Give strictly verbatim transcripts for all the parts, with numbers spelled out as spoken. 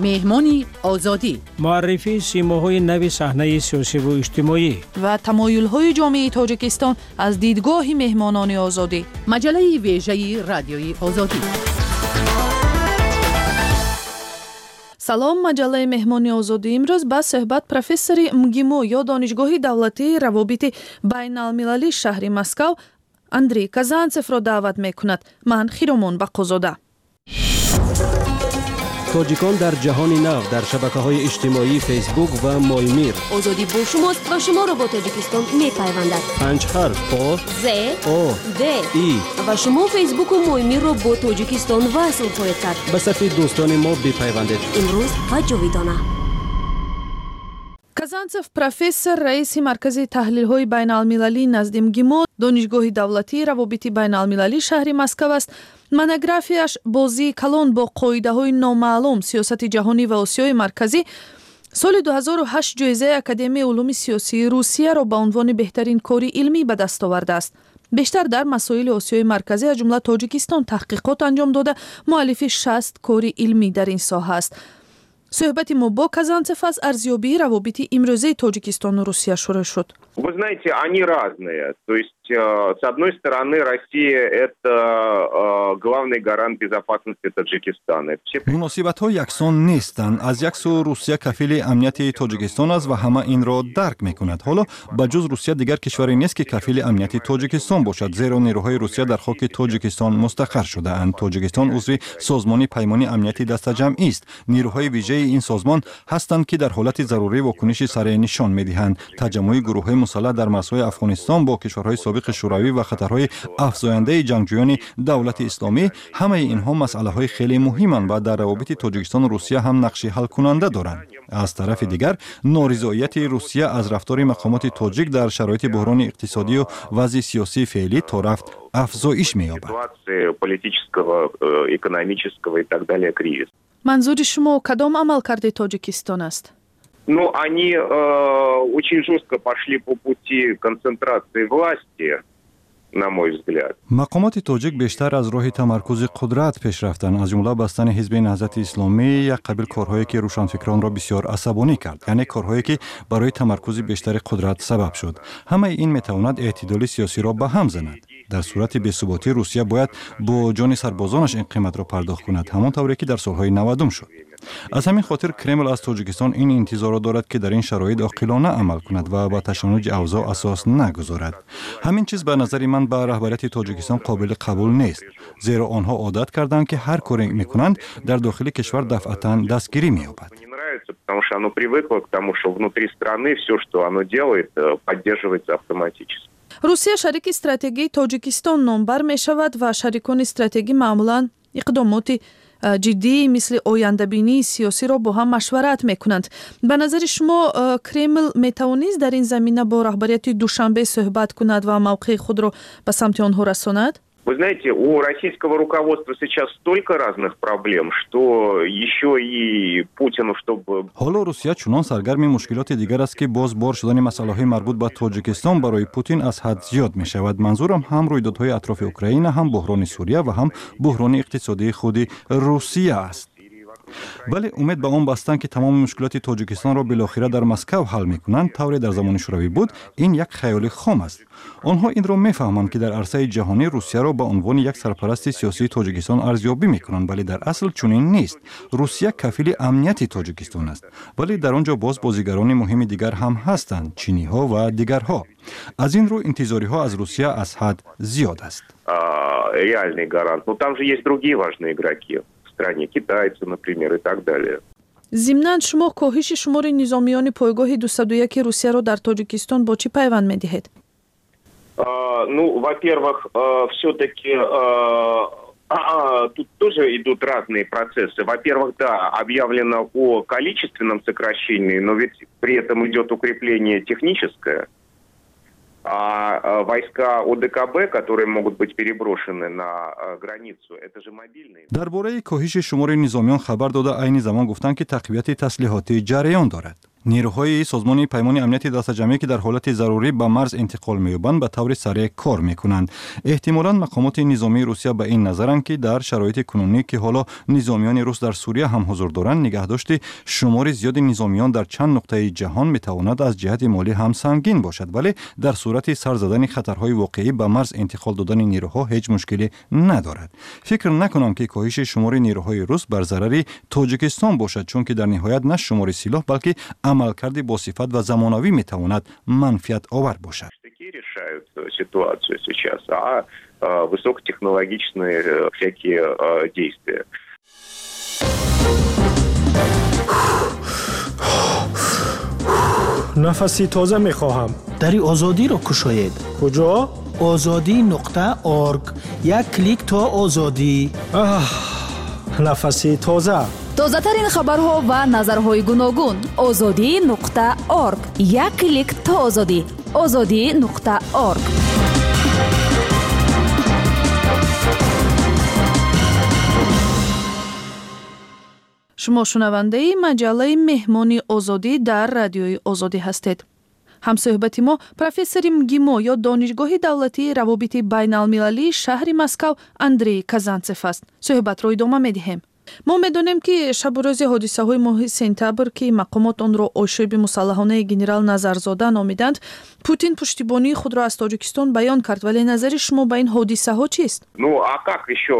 Меҳмони Озодӣ. Муаррифии симоҳои нави саҳнаи сиёсиву иҷтимоӣ ва тамоюлҳои ҷомеаи Тоҷикистон аз дидгоҳи меҳмонони Озодӣ. Маҷаллаи вежаи Радиои Озодӣ. Салом, маҷаллаи Меҳмони Озодӣ имрӯз ба суҳбат профессори МГИМО ё Донишгоҳи давлатии равобити байналмилалии шаҳри Москав Андрей Казанцевро даъват мекунад. Ман Хиромон Бақозода. Тоҷикон дар ҷаҳони нав дар шабакаҳои иҷтимоии Фейсбук ва Моймир. Озодӣ бо шумост ва шуморо бо Тоҷикистон мепайвандад. Панҷ ҳарф: О, З, О, Д, И. Ва шумо Фейсбуку Моймирро бо Тоҷикистон васл хоҳед кард. Ба сафи дӯстони мо бипайвандед. Имрӯз ва ҷовидона. Казанцев профессор, раиси Маркази таҳлилҳои байналмилалӣ назди МГИМО, Донишгоҳи давлатии равобити байналмилалии шаҳри Москав аст. Монографияш «Бозии калон бо қоидаҳои номаълум: сиёсати ҷаҳонӣ ва Осиёи Марказӣ» соли ду ҳазору ҳашт ҷоизаи Академияи улуми сиёсии Русияро ба унвони беҳтарин кори илмӣ ба даст овардааст. Бештар дар масоили Осиёи Марказӣ, аз ҷумла Тоҷикистон, таҳқиқот анҷом дода, муаллифи шаст кори илмӣ дар ин соҳа аст. Суҳбати мо бо Казанцев аз арзёбии равобити имрӯзаи Тоҷикистону Русия шурӯъ шуд. Вы знаете, они разные. То есть, э, с одной стороны, Россия – это э, главный гарант безопасности Таджикистана. Все Муносибатҳо яксон нестанд. Аз як сӯ, Русия кафили амнияти Тоҷикистон аст ва ҳама инро дарк мекунад. Ҳоло ба ҷуз Русия дигар кишваре нест, ки кафили амнияти Тоҷикистон бошад, зеро нерӯҳои Русия дар хоки Тоҷикистон мустақар шудаанд. Тоҷикистон узви Созмони Паймони Амнияти Дастаҷамъист. Нерӯҳои вижаи ин созмон ҳастанд, ки дар ҳолати зарурӣ вокуниши сареъ нишон медиҳанд. Таҷаммуи гурӯҳҳои мусаллаҳ дар марзҳои Афғонистон бо кишварҳои собиқи Шӯравӣ ва хатарҳои афзояндаи ҷангҷӯёни Давлати Исломӣ, ҳамаи инҳо масъалаҳои хеле муҳиманд ва дар равобити Тоҷикистону Русия ҳам нақши ҳалкунанда доранд. Аз тарафи дигар, норизоияти Русия аз рафтори мақомоти тоҷик дар шароити буҳрони иқтисодию вазъи сиёсии феълӣ торафт афзоиш меёбад. Политического, э, экономического и так далее кризис. Манзури шумо кадом амалкарди Тоҷикистон аст? Ну, они э, очень жестко пошли по пути концентрации власти, на мой взгляд. Мақомоти тоҷик бештар аз роҳи тамаркузи қудрат пеш рафтанд, аз ҷумла бастани Ҳизби Наҳзати Исломӣ, як қабил корҳое, ки рӯшанфикронро бисёр асабонӣ кард, яъне корҳое, ки барои тамаркузи бештари қудрат сабаб шуд. Ҳамаи ин метавонад эътидоли сиёсиро ба ҳам занад. Дар сурати бесуботӣ Русия бояд бо ҷони сарбозонаш ин қиматро пардохт кунад, ҳамон тавре ки дар солҳои навадум шуд. Аз ҳамин хотир Кремл аз Тоҷикистон ин интизорро дорад, ки дар ин шароит оқилона амал кунад ва ба ташаннуҷи авзоъ асос нагузорад. Ҳамин чиз ба назари ман ба раҳбарияти Тоҷикистон қобили қабул нест, зеро онҳо одат карданд, ки ҳар коре мекунанд, дар дохили кишвар дафъатан дастгирӣ меёбад. Потому что оно привыкло к тому, что внутри страны все, что оно делает, э, поддерживается автоматически. Русия шарики стратегии Тоҷикистон номбар мешавад ва шарикони стратегӣ маъмулан иқдомоти э, ҷиддӣ мисли ояндабинии сиёсиро бо ҳам машварат мекунанд. Ба назари шумо, э, Кремл метавонист дар ин замина бо раҳбарияти Душанбе суҳбат кунад ва мавқеи худро ба самти онҳо расонад? Вы знаете, у российского руководства сейчас столько разных проблем, что еще и Путину, чтобы... Ҳоло Русия чунон саргарми мушкилоти дигар аст, ки боз бор шудани масъалаҳои марбут ба Тоҷикистон барои Путин аз ҳад зиёд мешавад. Манзурам ҳам рӯйдодҳои атрофи Украина, ҳам буҳрони Сурия ва ҳам буҳрони иқтисодии худи Русия аст. Вале умед ба он бастан, ки тамоми мушкилоти Тоҷикистонро билохира дар Москав ҳал мекунанд, тавре дар замони Шӯравӣ буд, ин як хаёли хом аст. Онҳо инро мефаҳманд, ки дар арсаи ҷаҳонӣ Русияро ба унвони як сарпарасти сиёсии Тоҷикистон арзёбӣ мекунанд, вале дар асл чунин нест. Русия кафили амнияти Тоҷикистон аст, вале дар он ҷо боз бозигарони муҳими дигар ҳам ҳастанд, чиниҳо ва дигарҳо. Аз ин рӯ интизориҳо аз Русия аз ҳад зиёд аст. Реальный гарант. Но там же есть другие важные игроки в стране, китайцы, например, и так далее. Зимнан, шумо коҳиши шумори низомиёни пойгоҳи дусаду яки Русияро дар Тоҷикистон бо чӣ пайванд медиҳед? Ну, во-первых, все-таки тут тоже идут разные процессы. Во-первых, да, объявлено о количественном сокращении, но ведь при этом идет укрепление техническое. А войска О Д К Б, которые могут быть переброшены на границу, это же мобильные. Дар бораи коҳиши шумори низомиён хабар дода, айни замон гуфтанд, ки тақвияти таслиҳотӣ ҷараён дорад. Нерӯҳои Созмони Паймони Амнияти Дастаҷамъӣ, ки дар ҳолати зарурӣ ба марз интиқол меёбанд, ба таври сареъ кор мекунанд. Эҳтимолан мақомоти низомии Русия ба ин назаранд, ки дар шароити кунунӣ, ки ҳоло низомиёни рус дар Сурия ҳам ҳузур доранд, нигаҳдошти шумори зиёди низомиён дар чанд нуқтаи ҷаҳон метавонад аз ҷиҳати молӣ ҳам сангин бошад, вале дар сурати сар задани хатарҳои воқеӣ ба марз интиқол додани нерӯҳо ҳеҷ мушкиле надорад. Фикр накунам, ки коҳиши шумори нерӯҳои рус бар зарари Тоҷикистон бошад, чунки дар ниҳоят на шумори силоҳ, балки амалкарди босифат ва замонавӣ метавонад манфиатовар бошад. Решают ситуацию сейчас, а высокотехнологичные всякие действия. Нафаси тоза мехоҳам. Дари Озодиро кушоед. Куҷо? Озодӣ нуқта орг. Як клик то озодӣ. Нафаси тоза. Тозатарин хабарҳо ва назарҳои гуногун. Озодӣ нуқта орг. Як клик то озодӣ. Озодӣ нуқта орг. Шумо шунавандаи маҷаллаи Меҳмони Озодӣ дар Радиои Озодӣ ҳастед. Ҳамсӯҳбати мо профессори МГИМО ё Донишгоҳи давлатии равобити байналмилалии шаҳри Москав Андрей Казанцев аст. Суҳбатро идома медиҳем. Мо медонем, ки шабу рӯзи ҳодисаҳои моҳи сентябр, ки мақомот онро ошӯби мусаллаҳонаи генерал Назарзода номиданд, Путин пуштибонии худро аз Тоҷикистон баён кард, вале назари шумо ба ин ҳодисаҳо чист? Ну, а как еще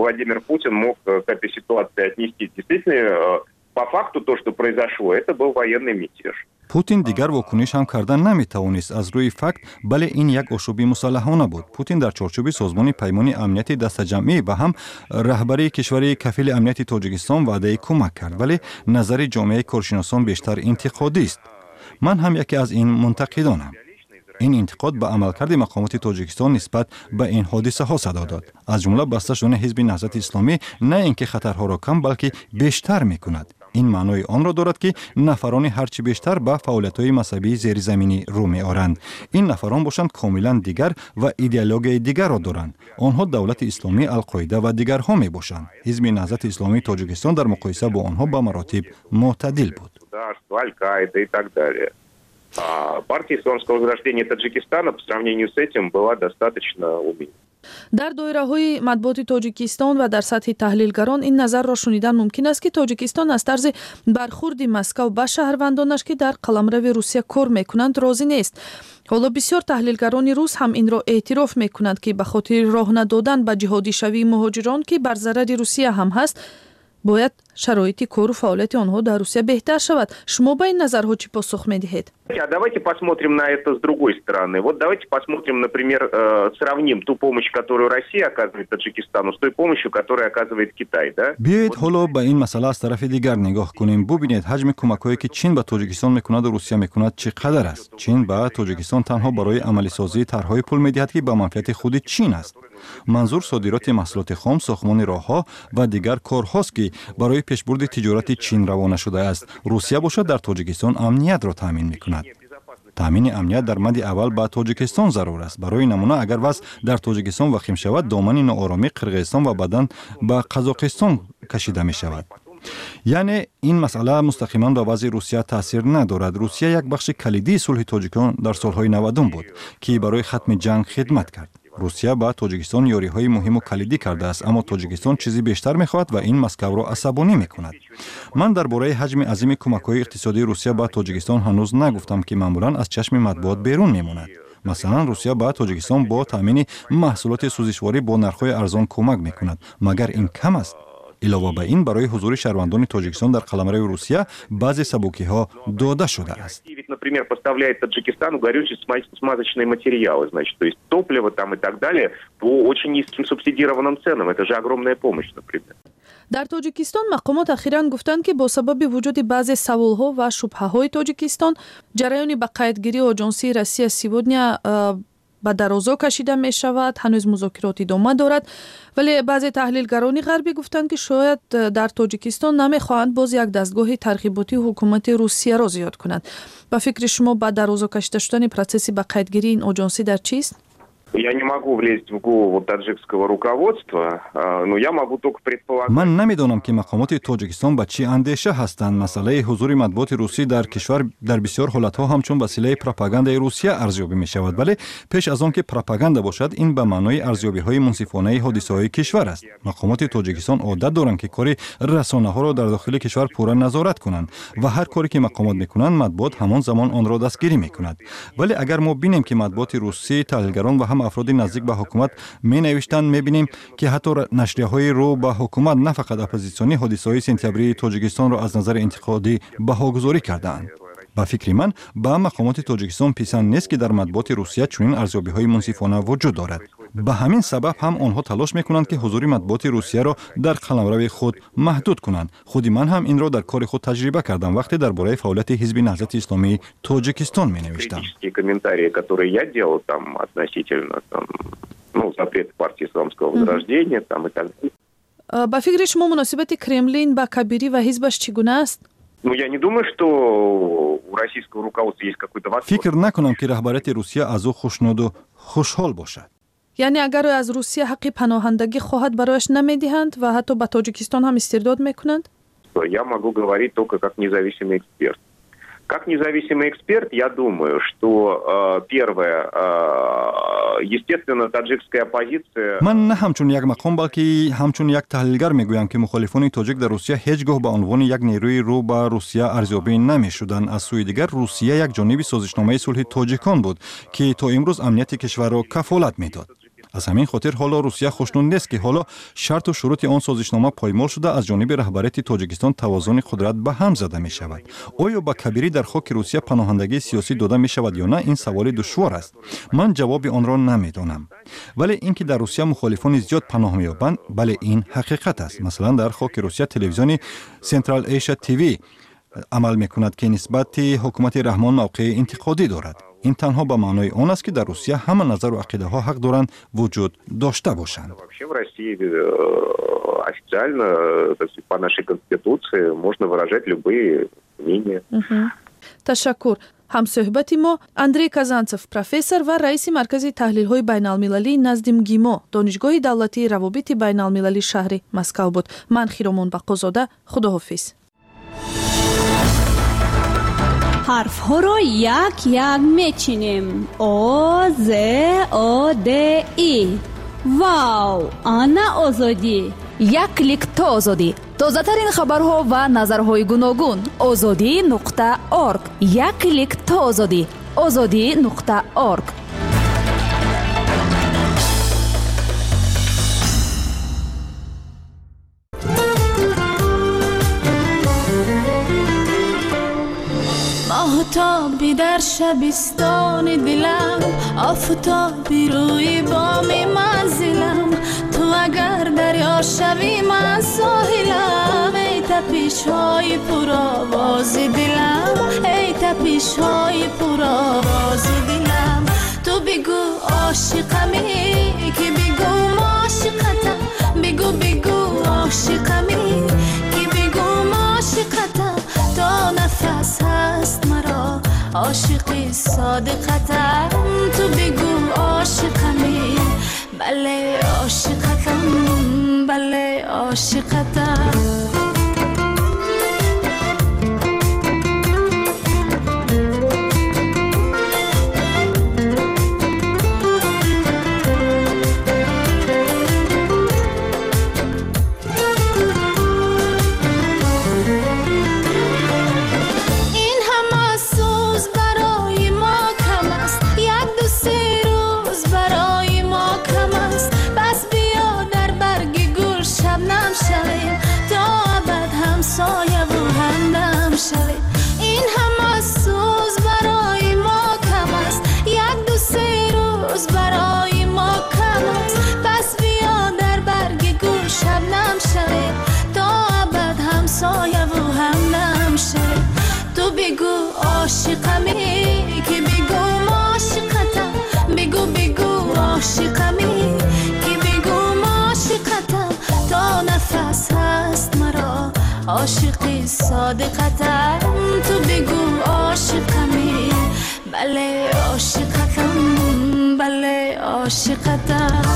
Владимир Путин мог к этой ситуации отнестись? Действительно, по факту то, что произошло, это был военный мятеж. Путин дигар вокуниш ҳам кардан наметавонист аз рӯи факт, бале, ин як ошӯби мусаллаҳона буд. Путин дар чорчӯби Созмони Паймони Амнияти Дастаҷамъӣ ва ҳам раҳбарии кишвари кафили амнияти Тоҷикистон ваъдаи кӯмак кард, вале назари ҷомеаи коршиносон бештар интиқодист. Ман ҳам яке аз ин мунтақидонам. Ин интиқод ба амалкарди мақомоти Тоҷикистон нисбат ба ин ҳодисаҳо садо дод. Аз ҷумла баста шудани Ҳизби Наҳзати Исломӣ на ин ки хатарҳоро кам, балки бештар мекунад. Ин маънои онро дорад, ки нафарони ҳарчи бештар ба фаъолиятҳои мазҳабии зеризаминӣ рӯ меоранд. Ин нафарон бошанд комилан дигар ва идеологияи дигарро доранд. Онҳо Давлати Исломӣ, Алқоида ва дигарҳо мебошанд. Ҳизби Наҳзати Исломии Тоҷикистон дар муқоиса бо онҳо ба маротиб мӯътадил буд. Партия Исламского возрождения Таджикистана по сравнению с этим была достаточно умеренной. Дар доираҳои матбуоти Тоҷикистон ва дар сатҳи таҳлилгарон ин назарро шунидан мумкин аст, ки Тоҷикистон аз тарзи бархурди Москав ба шаҳрвандонаш, ки дар қаламрави Русия кор мекунанд, розӣ нест. Ҳоло бисёр таҳлилгарони рус ҳам инро эътироф мекунанд, ки ба хотири роҳ надодан ба ҷиҳодишавии муҳоҷирон, ки бар зарари Русия ҳам ҳаст, бояд шароити кору фаъолияти онҳо дар Русия беҳтар шавад. Шумо ба ин назарҳо чӣ посух медиҳед? А давайте посмотрим на это с другой стороны. Вот давайте посмотрим, например, сравним ту помощь, которую Россия оказывает Таджикистану, с той помощью, которую оказывает Китай, да? Биёед ҳоло ба ин масъала аз тарафи дигар нигоҳ кунем. Бубинед, ҳаҷми кӯмакҳое, ки Чин ба Тоҷикистон мекунаду Русия мекунад, чӣ қадар аст. Чин ба Тоҷикистон танҳо барои амалисозии тарҳҳои пул медиҳад, ки ба манфиати худи Чин аст. Манзур содироти маҳсулоти хом, сохтмони роҳҳо ва дигар корҳост, ки барои пешбурди тиҷорати Чин равона шудааст. Русия бошад дар Тоҷикистон амниятро таъмин мекунад. Таъмини амният дар мадди аввал ба Тоҷикистон зарур аст. Барои намуна, агар вазъ дар Тоҷикистон вахим шавад, домани ноороми Қирғизистон ва баъдан ба Қазоқистон кашида мешавад. Яъне ин масъала мустақиман ба вазъи Русия таъсир надорад. Русия як бахши калидии сулҳи тоҷикон дар солҳои навадум буд, ки барои хатми ҷанг хидмат кард. Русия ба Тоҷикистон ёриҳои муҳиму калидӣ кардааст, аммо Тоҷикистон чизи бештар мехоҳад ва ин Москавро асабонӣ мекунад. Ман дар бораи ҳаҷми азими кӯмакҳои иқтисодии Русия ба Тоҷикистон ҳанӯз нагуфтам, ки маъмулан аз чашми матбуот берун мемонад. Масалан, Русия ба Тоҷикистон бо таъмини маҳсулоти сӯзишворӣ бо нархҳои арзон кӯмак мекунад. Магар ин кам аст? Илова ба ин, барои ҳузури шаҳрвандони Тоҷикистон дар қаламрави Русия баъзе сабукиҳо дода шудааст. Например, поставляет Таджикистану горючие смазочные материалы, значит, то есть топливо там и так далее по очень низким субсидированным ценам. Это же огромная помощь, например. Дар Тоҷикистон мақомот ахиран гуфтанд, ки бо сабаби вуҷуди баъзе саволҳо ва шубҳаҳои Тоҷикистон ҷараёни ба қайдгирии оҷонсии Россия сегодня ба дарозо кашида мешавад, ҳанӯз музокирот идома дорад. Вале баъзе таҳлилгарони ғарбӣ гуфтанд, ки шояд дар Тоҷикистон намехоҳанд боз як дастгоҳи тарғиботии ҳукумати Русияро зиёд кунанд. Ба фикри шумо, ба дарозо кашида шудани процесси ба қайдгирии ин оҷонсӣ дар чист? Я не могу влезть в голову таджикского руководства, но я могу только предполагать. Ман намедонам, ки мақомоти Тоҷикистон ба чӣ андеша ҳастанд. Масъалаи ҳузури матбуоти русӣ дар кишвар дар бисёр ҳолатҳо ҳамчун василаи пропагандаи Русия арзёбӣ мешавад, вале пеш аз он ки пропаганда бошад, ин ба маънои арзёбиҳои мунсифонаи ҳодисаҳои кишвар аст. Мақомоти Тоҷикистон одат доранд, ки кори расонаҳоро дар дохили кишвар пурра назорат кунанд ва ҳар коре ки мақомот мекунанд, матбуот ҳамон замон онро дастгирӣ мекунад. Вале агар мо бинем, ки матбуоти русӣ, таҳлилгарон ва ҳам афроди наздик ба ҳукумат менавиштанд, мебинем, ки ҳатто нашрияҳои рӯ ба ҳукумат, на фақат оппозитсионӣ, ҳодисаҳои сентябрии Тоҷикистонро аз назари интиқодӣ баҳогузорӣ кардаанд. Ба фикри ман, ба мақомоти Тоҷикистон писанд нест, ки дар матбуоти Русия чунин арзёбиҳои мунсифона вуҷуд дорад. Ба ҳамин сабаб ҳам онҳо талош мекунанд, ки ҳузури матбуоти Русияро дар қаламрави худ маҳдуд кунанд. Худи ман ҳам инро дар кори худ таҷриба кардам, вақте дар бораи фаъолияти Ҳизби Наҳзати Исломии Тоҷикистон менавиштам. Комментарии, которые я делал там относительно там, ну, запрета партии Исламского возрождения там и так далее. Ба фикри шумо, муносибати Кремлин ба Кабирӣ ва ҳизбаш чӣ гуна аст? Ну, я не думаю, что у российского руководства есть какой-то восторг. Фикр накунам, ки раҳбарияти Русия аз ӯ хушнуду хушҳол бошад. Яъне агар ӯ аз Русия ҳаққи паноҳандагӣ хоҳад, барояш намедиҳанд ва ҳатто ба Тоҷикистон ҳам истирдод мекунанд? Я могу говорить только как независимый эксперт. Как независимый эксперт, я думаю, что э, первое, э, естественно, таджикская оппозиция. Ман на ҳамчун як мақом, балки ҳамчун як таҳлилгар мегӯям, ки мухолифони тоҷик дар Русия ҳеҷ гоҳ ба унвони як нерӯи рӯ ба Русия арзёбӣ намешуданд. Аз сӯи дигар, Русия як ҷониби созишномаи сулҳи тоҷикон буд, ки то имрӯз амнияти кишварро кафолат медод. Аз ҳамин хотир ҳоло Русия хушнуд нест, ки ҳоло шарту шурути он созишнома поймол шуда, аз ҷониби раҳбарияти Тоҷикистон тавозуни қудрат ба ҳам зада мешавад. Оё ба Кабирӣ дар хоки Русия паноҳандагии сиёсӣ дода мешавад ё на, ин саволи душвор аст. Ман ҷавоби онро намедонам. Вале ин ки дар Русия мухолифони зиёд паноҳ меёбанд, бале, ин ҳақиқат аст. Масалан, дар хоки Русия телевизиони Централ Эйша ТВ амал мекунад, ки нисбати ҳукумати Раҳмон мавқеи интиқодӣ дорад. Ин танҳо ба маънои он аст, ки дар Русия ҳама назару ақидаҳо ҳақ доранд вуҷуд дошта бошанд. Вообще в России э, официально, по нашей конституции, можно выражать любые мнения. Ташаккур. Ҳамсӯҳбати мо Андрей Казанцев, профессор ва раиси Маркази таҳлилҳои байналмилалӣ назди МГИМО, Донишгоҳи давлатии равобити байналмилалӣ шаҳри Москав буд. Ман Хиромон Бақозода, худоҳофиз. Ҳарфҳоро як як мечинем: О, З, О, Д, И. Вау, ана озодӣ! Як клик то озодӣ. Тозатарин хабарҳо ва назарҳои гуногун. Озодӣ нуқта орг. Як клик то озодӣ. Озодӣ нуқта орг. Моҳтоби дар шабистони дилам, офтоби рӯи боми манзилам, ту агар дарё шавӣ, ман соҳилам. Эй тапишҳои пуровози дилам, эй тапишҳои пуровози дилам, ту бигӯ ошиқамӣ, ки бигӯ ошиқатам, бигӯ, бигӯ ошиқамӣ, ки бигӯ ошиқатам, то нафас ҳаст маро ошиқи содиқатам. Ту бигӯ ошиқамӣ, бале ошиқатам, бале ошиқатам. Ошиқамӣ, ки бигӯ ошиқатам, бигӯ, бигӯ ошиқамӣ, ки бигӯ ошиқатам, то нафас ҳаст маро ошиқи содиқатам. Ту бигӯ ошиқамӣ, Бале, ошиқатам, бале, ошиқатам.